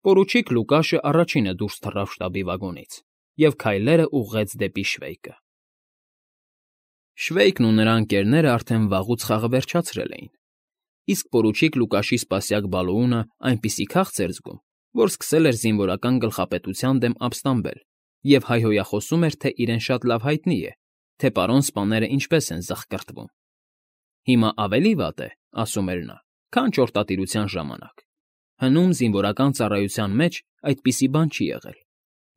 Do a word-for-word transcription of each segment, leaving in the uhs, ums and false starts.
Պորուչիկ Լուկաշը առաջինը դուրս թռավ շտաբի վագոնից և քայլերն ուղղեց դեպի Շվեյկը։ Շվեյկն ու նրա ընկերները արդեն վաղուց խաղը վերջացրել էին, իսկ պորուչիկ Լուկաշի սպասյակ Բալոունը այնպիսի քաղց էր զգում, որ սկսել էր զինվորական գլխապետության դեմ ապստամբել և հայհոյախոսում էր, թե իրեն շատ լավ հայտնի է, թե պարոն սպաները ինչպես են զղկռտվում։ Հիմա ավելի վատ է, ասում էր նա, քան ճորտատիրության ժամանակ։ Հնում զինվորական ծառայության մեջ այդպիսի բան չի եղել։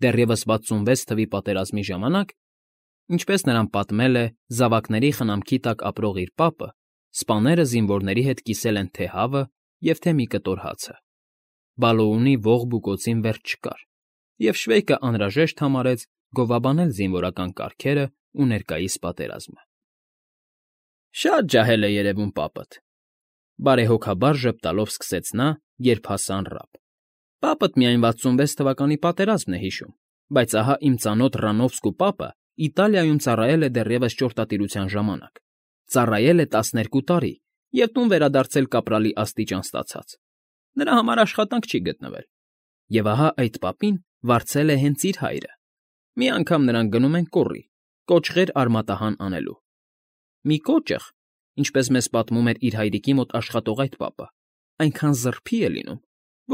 Դեռևս վաթսունվեց թվի պատերազմի ժամանակ, ինչպես նրան պատմել է զավակների խնամքի տակ ապրող իր պապը, սպաները զինվորների հետ կիսել են թե հավը և թե մի կտոր հացը։ Բալոունի ողբ ու կոցին վերջ չկար, և Շվեյկը անհրաժեշտ համարեց գովաբանել զինվորական կարգերը ու ներկայիս պատերազմը։ Շատ ջահել է երևում պապդ,֊ բարեհոգաբար ժպտալով սկսեց նա, երբ հասան ռապ։ Պապդ միայն վաթսունվեց թվականի պատերազմն է հիշում, բայց ահա իմ ծանոթ Ռանովսկու պապը Իտալիայում ծառայել է դեռևս ճորտատիրության ժամանակ, ծառայել է տասներկու տարի և տուն վերադարձել կապրալի աստիճան ստացած։ Նրա համար աշխատանք չի գտնվել։ Եվ ահա այդ պապին վարձել է հենց իր հայրը։ Մի անգամ նրանք գնում են կոռի, կոճղեր արմատահան անելու։ Մի կոճղ, ինչպես մեզ պատմում էր իր հայրիկի մոտ աշխատող այդ պապը, այնքան զռփի է լինում,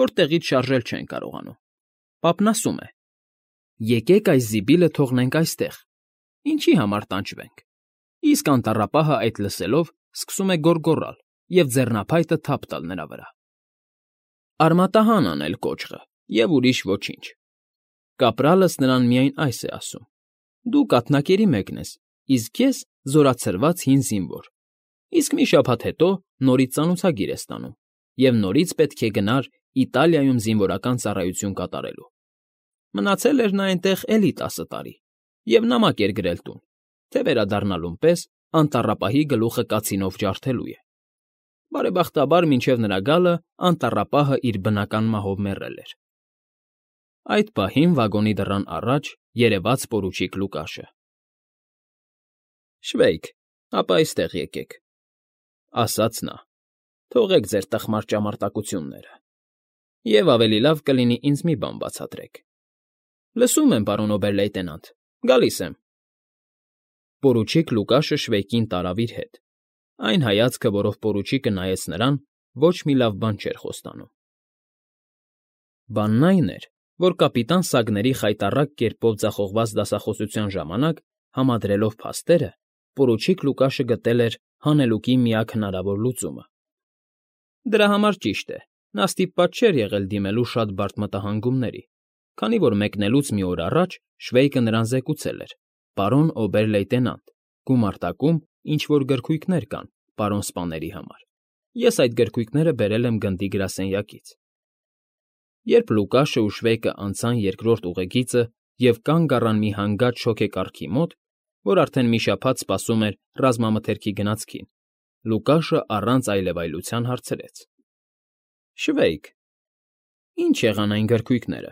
որ տեղից շարժել չեն կարողանում։ Պապն ասում է. «Եկեք այս զիբիլը թողնենք այստեղ, ինչի համար տանջվենք»։ Իսկ անտառապահը այդ լսելով սկսում է գոռգոռալ և ձեռնափայտը թափ տալ նրա վրա։ Արմատահան անել կոճղը և ուրիշ ոչինչ։ Կապրալս նրան միայն այս է ասում. «Դու կաթնակերի մեկն ես, իսկ ես զորացրված հին զինվոր, իսկ մի շաբաթ հետո նորից ծանոթագիր ես ստանում և նորից պետք է գնար Իտալիայում զինվորական ծառայություն կատարելու»։ Մնացել էր նա այնտեղ էլի տասը տարի և նամակ էր գրել տուն, թե վերադառնալուն պես անտառապահի գլուխը կացինով ջարդելու է։ Բարեբախտաբար մինչև նրա գալը անտառապահը իր բնական մահով մեռել էր։ Այդ պահին վագոնի դռան առաջ երևաց պորուչիկ Լուկաշը։ «Շվեյկ, ապա այստեղ եկեք,֊ ասաց նա,֊ թողեք ձեր տխմար ճամարտակությունները, և ավելի լավ կլինի ինձ մի բան բացատրեք»։ Լսում եմ, պարոն օբեր֊լեյտենանտ, գալիս եմ։ Պորուչիկ Լուկաշը Շվեյկին տարավ իր հետ։ Այն հայացքը, որով պորուչիկը նայեց նրան, ոչ մի լավ բան չէր խոստանում։ Բանն այն էր, որ կապիտան Սագների խայտառակ կերպով ձախողված դասախոսության ժամանակ, համադրելով փաստերը, պորուչիկ Լուկաշը գտել էր հանելուկի միակ հնարավոր լուծումը։ Դրա համար, ճիշտ է, նա ստիպված չէր եղել դիմելու շատ բարդ մտահանգումների, քանի որ մեկնելուց մի օր առաջ Շվեյկը նրան զեկուցել էր. «Պարոն օբեր֊լեյտենանտ, գումարտակում ինչ֊որ գրքույկներ կան պարոն սպաների համար։ Ես այդ գրքույկները բերել եմ գնդի գրասենյակից»։ Երբ Լուկաշը ու Շվեյկը անցան երկրորդ ուղեգիծը և կանգ առան մի հանգած շոգեկառքի մոտ, որ արդեն մի շաբաթ սպասում էր ռազմամթերքի գնացքին, Լուկաշը առանց այլևայլության հարցրեց. «Շվեյկ, ի՞նչ եղան այն գրքույկները»։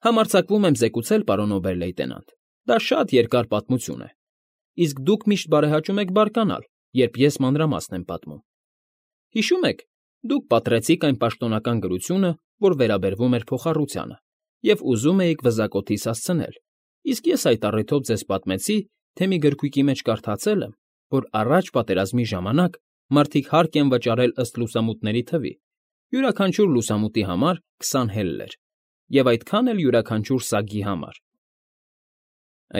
Համարձակվում եմ զեկուցել, պարոն օբեր֊լեյտենանտ, դա շատ երկար պատմություն է, իսկ դուք միշտ բարեհաճում եք բարկանալ, երբ ես մանրամասն եմ պատմում։ Հիշո՞ւմ եք, դուք պատռեցիք այն պաշտոնական գրությունը, որ վերաբերվում էր փոխառությանը, և ուզում էիք վզակոթիս հասցնել, իսկ ես այդ առիթով ձեզ պատմեցի, թե մի գրքույկի մեջ կարդացել եմ, որ առաջ պատերազմի ժամանակ մարդիկ հարկ են վճարել ըստ լուսամուտների թվի, յուրաքանչյուր լուսամուտի համար քսան հելլեր, և այդքան էլ յուրաքանչյուր սագի համար։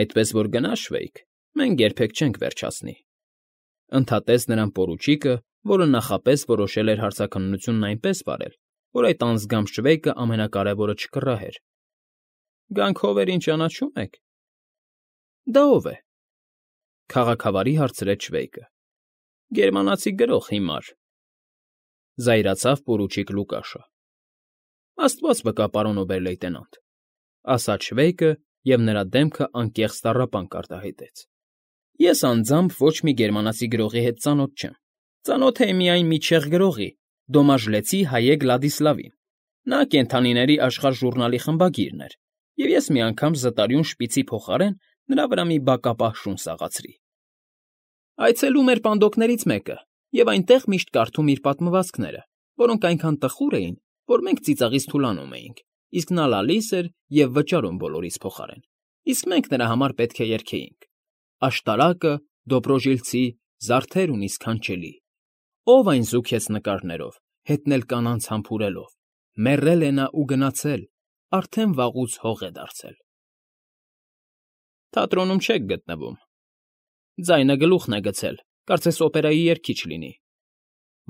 Այդպես որ գնա, Շվեյկ, մենք երբեք չենք վերջացնի,֊ ընդհատեց նրան պորուչիկը, որը նախապես որոշել էր հարցաքննությունն այնպես վարել, որ այդ անձգամբ Շվեյկը ամենակարևորը չկռահեր։ Գանք հովերին ճանաչո՞ւմ եք։ Դա ո՞վ է,֊ քաղաքավարի հարցրեց Շվեյկը։ Գերմանացի գրող հիմար,֊ զայրացավ պորուչիկ Լուկաշը։ Աստված վկա, պարոն օբեր֊լեյտենանտ,֊ ասաց Շվեյկը, և նրա դեմքը անկեղծ տառապանք արտահայտեց։ Ես անձամբ ոչ մի գերմանացի գրողի հետ ծանոթ չեմ։ Ծանոթ էի միայն մի չեխ գրողի՝ Դոմաժլեցի Հայե Գլադիսլավին։ Նա Կենդանիների Աշխարհ ժուռնալի խմբագիրն էր, և ես մի անգամ զտարյուն շպիցի փոխարեն նրա վրա մի բակապահ շուն սաղացրի։ Այցելում էր պանդոկներից մեկը և այնտեղ միշտ կարդում իր պատմվածքները, որոնք այնքան տխուր էին, որ մենք ծիծաղից թուլանում էինք, իսկ նա լալիս էր և վճարում բոլորիս փոխարեն, իսկ մենք նրա համար պետք է երգեինք. «Աշտարակը, Դոբրոժիլցի, զարդեր ունի սքանչելի, ով այն զուգեց նկարներով, հետնել կանանց համբուրելով, մեռել է նա ու գնացել, արդեն վաղուց հող է դարձել»։ Թատրոնում չեք գտնվում, ձայնը գլուխն է գցել, կարծես օպերայի երգիչ լինի,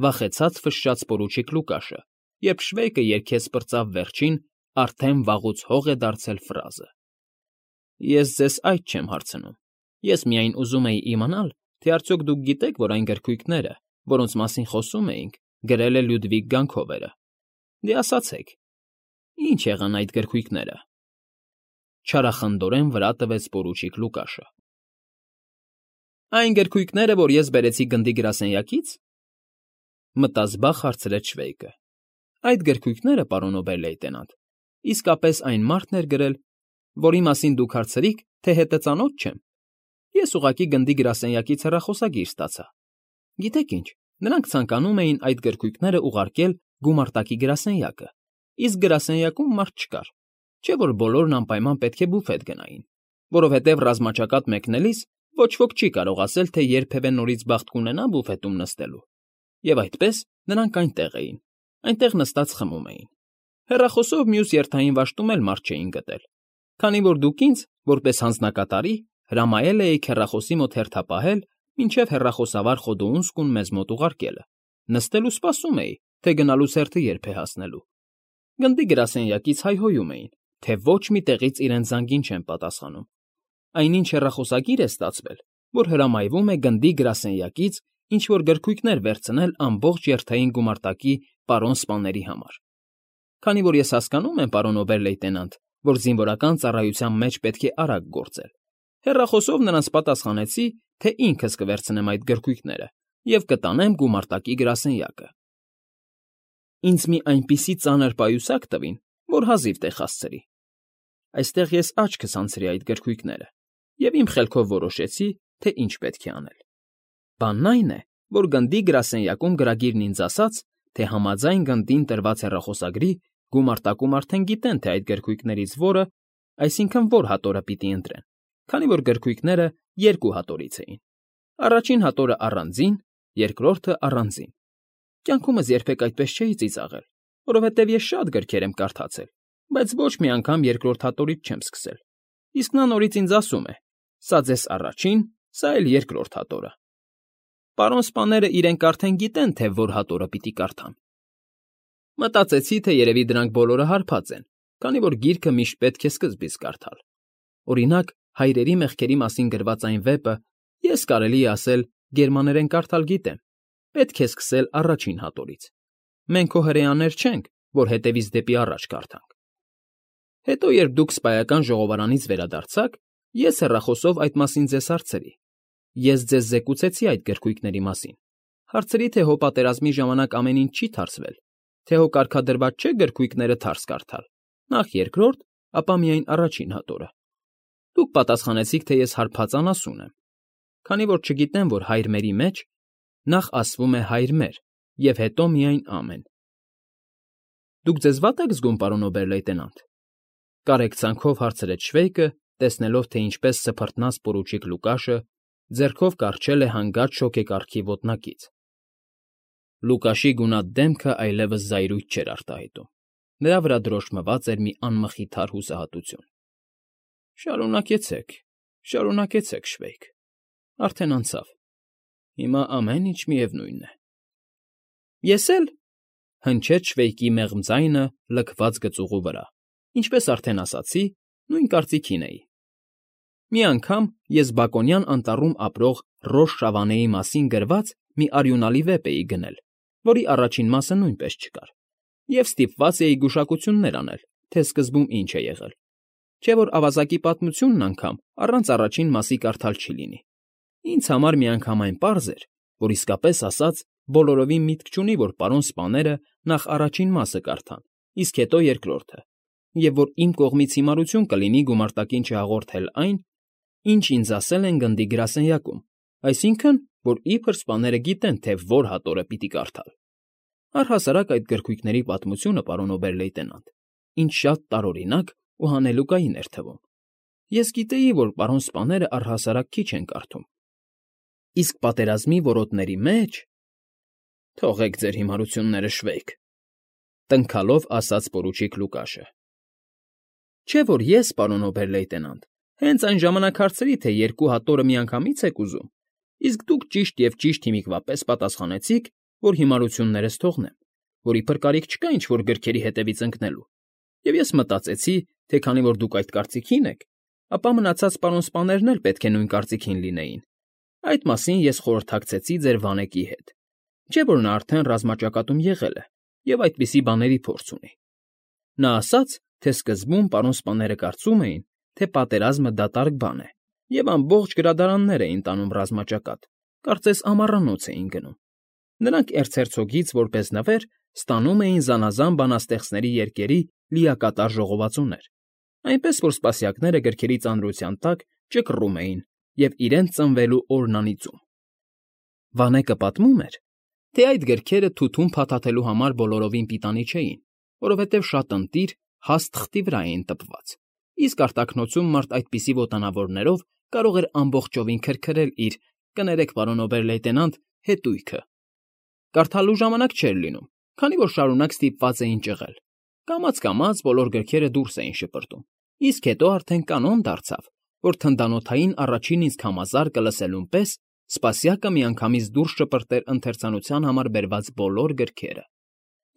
վախեցած ֆշշաց պորուչիկ Լուկաշը, երբ Շվեյկը երգեց պրծավ վերջին «Արդեն վաղուց հող է դարձել» ֆրազը։ Ես ձեզ այդ չեմ հարցնում, ես միայն ուզում էի իմանալ, թե արդյոք դուք գիտեք, որ այն գրքույկները, որոնց մասին խոսում էինք, գրել է Լյուդվիգ Գանքովերը։ Դե ասացեք, ի՞նչ եղան այդ գրքույկները։ Չարախնդորեն վրա տվեց պորուչիկ Լուկաշը։ Այն գրքույկները, որ ես բերեցի գնդի գրասենյակից, մտազբաղ հարցրեց Շվեյկը։ Այդ գրքույկները, պարոն օբեր֊լեյտենանտ, իսկապես այն մարդն էր գրել, որի մասին դուք հարցրիք, թե հետը ծանոթ չեմ։ Ես ուղղակի գնդի գրասենյակից հեռախոսագիր ստացա։ Գիտեք ինչ, նրանք ցանկանում էին այդ գրքույկները ուղարկել գումարտակի գրասենյակը, իսկ գրասենյակում մարդ չկար, չէ՞ որ բոլորն անպայման պետք է բուֆետ գնային, որովհետև ռազմաճակատ մեկնելիս ոչ ոք չի կարող ասել, թե երբևէ նորից բախտ կունենա բուֆետում նստելու։ Եվ այդպես նրանք այնտեղ էին, այնտեղ նստած խմում էին։ Հեռախոսով մյուս երթային վաշտում էլ մարդ չէին գտել, քանի որ դուք ինձ, որպես հանձնակատարի, հրամայել էիք հեռախոսի մոտ հերթապահել, մինչև հեռախոսավար Խոդոունսկուն մեզ մոտ ուղարկելը, նստել ու սպասում էի, թե գնալուց հերթը երբ է հասնելու։ Գնդի գրասենյակից հայհոյում էին, թե ոչ մի տեղից իրենց զանգին չեն պատասխանում։ Այնինչ հեռախոսագիր է ստացվել, որ հրամայվում է գնդի գրասենյակից ինչ-որ գրքույկներ վերցնել ամբողջ երթային գումարտակի պարոն սպաների համար։ Քանի որ ես հասկանում եմ, պարոն օբեր֊լեյտենանտ, որ զինվորական ծառայության մեջ պետք է արագ գործել, հեռախոսով նրանց պատասխանեցի, թե ինքս կվերցնեմ այդ գրքույկները և կտանեմ գումարտակի գրասենյակը։ Ինձ մի այնպիսի ծանր պայուսակ տվին, որ հազիվ տեղ հասցրի։ Այստեղ ես աչքս անցրի այդ գրքույկները և իմ խելքով որոշեցի, թե ինչ պետք է անել։ Բանն այն է, որ գնդի գրասենյակում գրագիրն ինձ ասաց, թե համաձայն գնդին տրված հեռախոսագրի գումարտակում արդեն գիտեն, թե այդ գրքույկներից որը, այսինքն որ հատորը պիտի ընտրեն, քանի որ գրքույկները երկու հատորից էին։ Առաջին հատորը առանձին, երկրորդը առանձին։ Կյանքումս երբեք այդպես չէի ծիծաղել, որովհետև ես շատ գրքեր եմ կարդացել, բայց ոչ մի անգամ երկրորդ հատորից չեմ սկսել։ Իսկ նա նորից ինձ ասում է. «Սա ձեզ առաջին, սա էլ երկրորդ հատորը»։ Պարոն սպաները իրենք արդեն գիտեն, թե որ հատորը պիտի կարդան։ Մտածեցի, թե երևի դրանք բոլորը հարբած են, քանի որ գիրքը միշտ պետք է սկզբից կարդալ։ Օրինակ, հայրերի մեղքերի մասին գրված այն վեպը, ես կարելի է ասել, գերմաներեն կարդալ գիտեմ, պետք է սկսել առաջին հատորից։ Մենք քո հրեաներ չենք, որ հետևից դեպի առաջ կարդանք։ Հետո, երբ դուք սպայական ժողովարանից վերադարձաք, ես հեռախոսով այդ մասին ձեզ հարցրի։ Ես ձեզ զեկուցեցի այդ գրքույկների մասին։ Հարցրի, թե հո պատերազմի ժամանակ ամեն ինչ չի թարսվել, թե հո կարգադրված չէ գրքույկները թարս կարդալ, նախ երկրորդ, ապա միայն առաջին հատորը։ Դուք պատասխանեցիք, թե ես հարբած անասուն եմ, քանի որ չգիտեմ, որ հայր մերի մեջ նախ ասվում է հայր մեր և հետո միայն ամեն։ Դուք ձեզ վատ եք զգում, պարոն օբեր֊լեյտենանտ, կարեկցանքով հարցրեց Շվեյկը, տեսնելով, թե ինչպես սփռտնաց պորուչիկ Լուկաշը ձեռքով կառչել է հանգած շոգեկառքի ոտնակից։ Լուկաշի գունատ դեմքը այլևս զայրույթ չէր արտահայտում, նրա վրա դրոշմված էր մի անմխիթար հուսահատություն։ Շարունակեցեք, շարունակեցեք, Շվեյկ, արդեն անցավ, հիմա ամեն ինչ միևնույն է։ Ես էլ, հնչեց Շվեյկի մեղմ ձայնը լքված գծուղու վրա, ինչպես արդեն ասացի, նույն կարծիքին էի։ Մի անգամ ես Բակոնյան անտառում ապրող Ռոժ Շավանեի մասին գրված մի արյունալի վեպ էի գնել, որի առաջին մասը նույնպես չկար, և ստիպված էի գուշակություններ անել, թե սկզբում ինչ է եղել, չէ որ ավազակի պատմությունն անգամ առանց առաջին մասի կարդալ չի լինի։ Ինձ համար միանգամայն պարզ էր, որ իսկապես ասած բոլորովին միտք չունի, որ պարոն սպաները նախ առաջին մասը կարդան, իսկ հետո երկրորդը, և որ իմ կողմից հիմարություն կլինի գումարտակին չհաղորդել այն, ինչ ինձ ասել են գնդի գրասենյակում, այսինքն, որ իբր սպաները գիտեն, թե որ հատորը պիտի կարդալ։ Առհասարակ այդ գրքույկների պատմությունը, պարոն օբեր֊լեյտենանտ, ինձ շատ տարօրինակ ու հանելուկային էր թվում։ Ես գիտեի, որ պարոն սպաները առհասարակ քիչ են կարդում, իսկ պատերազմի որոտների մեջ… Թողեք ձեր հիմարությունները, Շվեյք,֊ տնքալով ասաց պորուչիկ Լուկաշը։ Չէ՞ որ ես, պարոն օբեր֊լեյտենանտ, հենց այն ժամանակ հարցրի, թե երկու հատորը միանգամի՞ց եք ուզում, իսկ դուք ճիշտ և ճիշտ հիմիկվա պես պատասխանեցիք, որ հիմարություններս թողնեմ, որ իբր կարիք չկա ինչ֊որ գրքերի հետևից ընկնելու, և ես մտածեցի, թե քանի որ դուք այդ կարծիքին եք, ապա մնացած պարոն սպաներն էլ պետք է նույն կարծիքին լինեին։ Այդ մասին ես խորհրդակցեցի ձեր վանեկի հետ, չէ՞ որ նա արդեն ռազմաճակատում եղել է և այդպիսի բաների փորձ ունի։ Նա ասաց, թե սկզբում պարոն սպաները կարծում էին, թե պատերազմը դատարկ բան է, և ամբողջ գրադարաններ էին տանում ռազմաճակատ, կարծես ամառանոց էին գնում։ Նրանք էրցհերցոգից որպես նվեր ստանում էին զանազան բանաստեղծների երգերի լիակատար ժողովածուներ, այնպես որ սպասյակները գրքերի ծանրության տակ ճկռում էին և իրենց ծնվելու օրն անիծում։ Վանեկը պատմում էր, թե այդ գրքերը թութուն փաթաթելու համար բոլորովին պիտանի չէին, որովհետև շատ ընտիր, հաստ թղթի վրա էին տպված, իսկ արտաքնոցում մարդ այդպիսի ոտանավորներով կարող էր ամբողջովին քրքրել իր, կներեք, պարոն օբեր֊լեյտենանտ, հետույքը։ Կարդալու ժամանակ չէր լինում, քանի որ շարունակ ստիպված էին ճղել։ Կամաց֊կամաց բոլոր գրքերը դուրս էին շպրտում, իսկ հետո արդեն կանոն դարձավ, որ թնդանոթային առաջին իսկ համազարկը լսելուն պես սպասյակը միանգամից դուրս շպրտեր ընթերցանության համար բերված բոլոր գրքերը։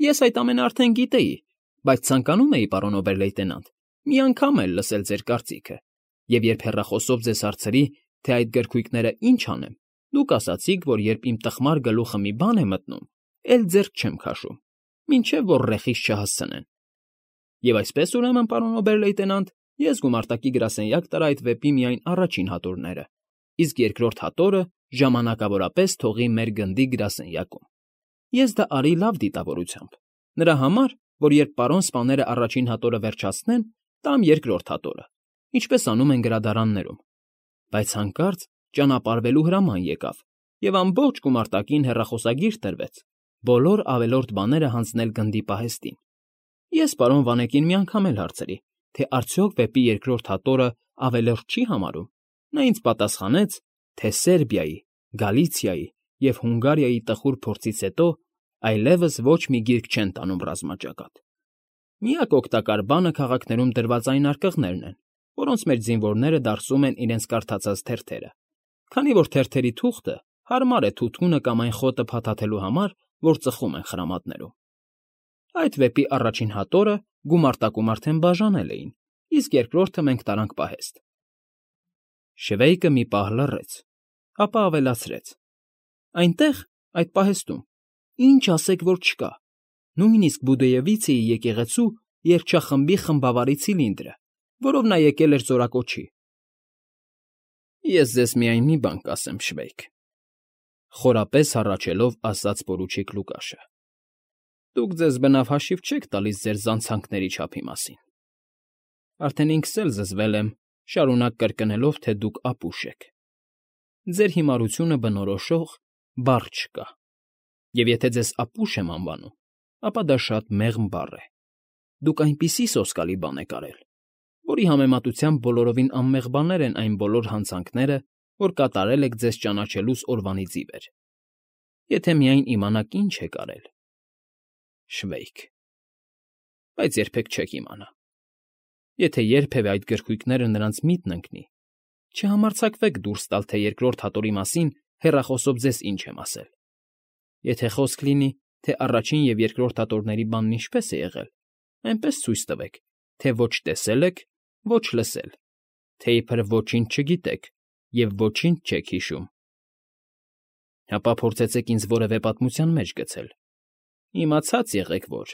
Ես այդ ամենը արդեն գիտեի, բայց ցանկանում էի, պարոն օբեր֊լեյտենանտ, մի անգամ էլ լսել ձեր կարծիքը, և երբ հեռախոսով ձեզ հարցրի, թե այդ գրքույկները ինչ անեմ, դուք ասացիք, որ երբ իմ տխմար գլուխը մի բան է մտնում, էլ ձեռք չեմ քաշում, մինչև որ ռեխիս չհասցնեն։ Եվ այսպես, ուրեմն, պարոն օբեր֊լեյտենանտ, ես գումարտակի գրասենյակ տարա այդ վեպի միայն առաջին հատորները, իսկ երկրորդ հատորը ժամանակավորապես թողի մեր գնդի գրասենյակում։ Ես դա արի լավ դիտավորությամբ, նրա համար, որ երբ պարոն սպաները առաջին հատորը վերջացնեն, տամ երկրորդ հատորը, ինչպես անում են գրադարաններում։ Բայց հանկարծ ճանապարհվելու հրաման եկավ, և ամբողջ գումարտակին հեռախոսագիր տրվեց բոլոր ավելորդ բաները հանձնել գնդի պահեստին։ Ես պարոն Վանեկին մի անգամ էլ հարցրի, թե արդյոք վեպի երկրորդ հատորը ավելորդ չի համարում։ Նա ինձ պատասխանեց, թե Սերբիայի, Գալիցիայի և Հունգարիայի տխուր փորձից հետո այլևս ոչ մի գիրք չեն տանում ռազմաճակատ։ Միակ օգտակար բանը քաղաքներում դրված այն արկղներն են, որոնց մեջ զինվորները դարսում են իրենց կարդացած թերթերը, քանի որ թերթերի թուղթը հարմար է թութունը կամ այն խոտը փաթաթելու համար, որ ծխում են խրամատներում։ Այդ վեպի առաջին հատորը գումարտակում արդեն բաժանել էին, իսկ երկրորդը մենք տարանք պահեստ։ Շվեյկը մի պահ լռեց, ապա ավելացրեց. Այնտեղ, այդ պահեստում, ինչ ասեք, որ չկա, նույնիսկ Բուդեևիցեի եկեղեցու երգչախմբի խմբավարի ցիլինդրը, որով նա եկել էր զորակոչի։ Ես ձեզ միայն մի բան կասեմ, Շվեյք,֊ խորապես հառաչելով ասաց պորուչիկ Լուկաշը. Դուք ձեզ բնավ հաշիվ չեք տալիս ձեր զանցանքների չափի մասին։ Արդեն ինքս էլ զզվել եմ, շարունակ կրկնելով, թե դուք ապուշ եք։ Ձեր հիմարությունը բնորոշող բառ չկա, և եթե ձեզ ապուշ եմ անվանում, ապա դա շատ մեղմ բառ է։ Դուք այնպիսի սոսկալի բան եք արել, որի համեմատությամբ բոլորովին անմեղ բաներ են այն բոլոր հանցանքները, որ կատարել եք ձեզ ճանաչելուս օրվանից ի վեր։ Եթե միայն իմանաք ինչ եք արել… Շվեյք… Բայց երբեք չեք իմանա։ Եթե երբևէ այդ գրքույկները նրանց միտն ընկնի, չհամարձակվեք դուրս տալ, թե երկրորդ հատորի մասին հեռախոսով ձեզ ինչ եմ ասել։ Եթե խոսք լինի, թե առաջին և երկրորդ հատորների բանն ինչպես է եղել, այնպես ցույց տվեք, թե ոչ տեսել եք, ոչ լսել, թե իբր ոչինչ չգիտեք և ոչինչ չեք հիշում։ Ապա փորձեցեք ինձ որևէ պատմության մեջ գցել։ Իմացած եղեք, որ…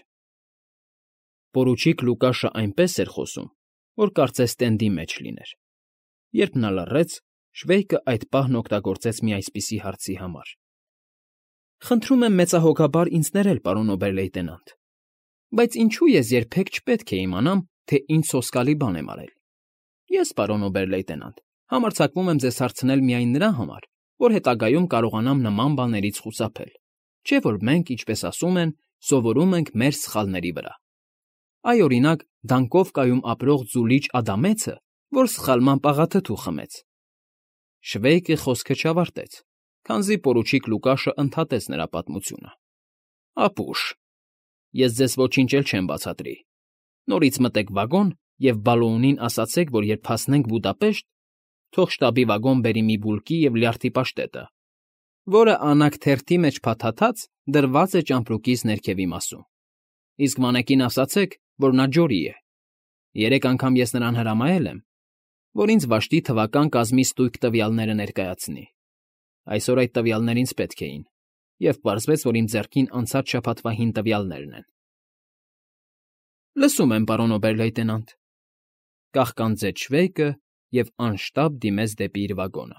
Պորուչիկ Լուկաշը այնպես էր խոսում, որ կարծես տենդի մեջ լիներ։ Երբ նա լռեց, Շվեյկը այդ պահն օգտագործեց մի այսպիսի հարցի համար. Խնդրում եմ մեծահոգաբար ինձ ներել, պարոն օբեր֊լեյտենանտ, բայց ինչու ես երբեք չպետք է իմանամ, թե ինչ սոսկալի բան եմ արել։ Ես, պարոն օբեր֊լեյտենանտ, համարձակվում եմ ձեզ հարցնել միայն նրա համար, որ հետագայում կարողանամ նման բաներից խուսափել, չէ՞ որ մենք, ինչպես ասում են, սովորում ենք մեր սխալների վրա։ Այ, օրինակ, Դանկովկայում ապրող ձուլիչ Ադամեցը, որ սխալմամբ աղաթթու խմեց։ Շվեյկը խոսքը չավարտեց, քանզի պորուչիկ Լուկաշը ընդհատեց նրա պատմությունը։ Ապուշ, ես ձեզ ոչինչ էլ չեմ բացատրի։ Նորից մտեք վագոն և Բալոունին ասացեք, որ երբ հասնենք Բուդապեշտ, թող շտաբի վագոն բերի մի բուլկի և լյարդի պաշտետը, որը անագ թերթի մեջ փաթաթած դրված է ճամպրուկիս ներքևի մասում։ Իսկ մանեկին ասացեք, որ նա Ջորի է։ Երեք անգամ ես նրան հրամայել եմ, որ ինձ վաշտի թվական կազմի ստույգ տվյալները ներկայացնի։ Այսօր այդ տվյալներն ինձ պետք էին, և պարզվեց, որ իմ ձեռքին անցած շաբաթվա հին տվյալներն են։ ֊ Լսում եմ, պարոն օբեր֊լեյտենանտ,֊ կաղկանձեց Շվեյկը և անշտապ դիմեց դեպի իր վագոնը։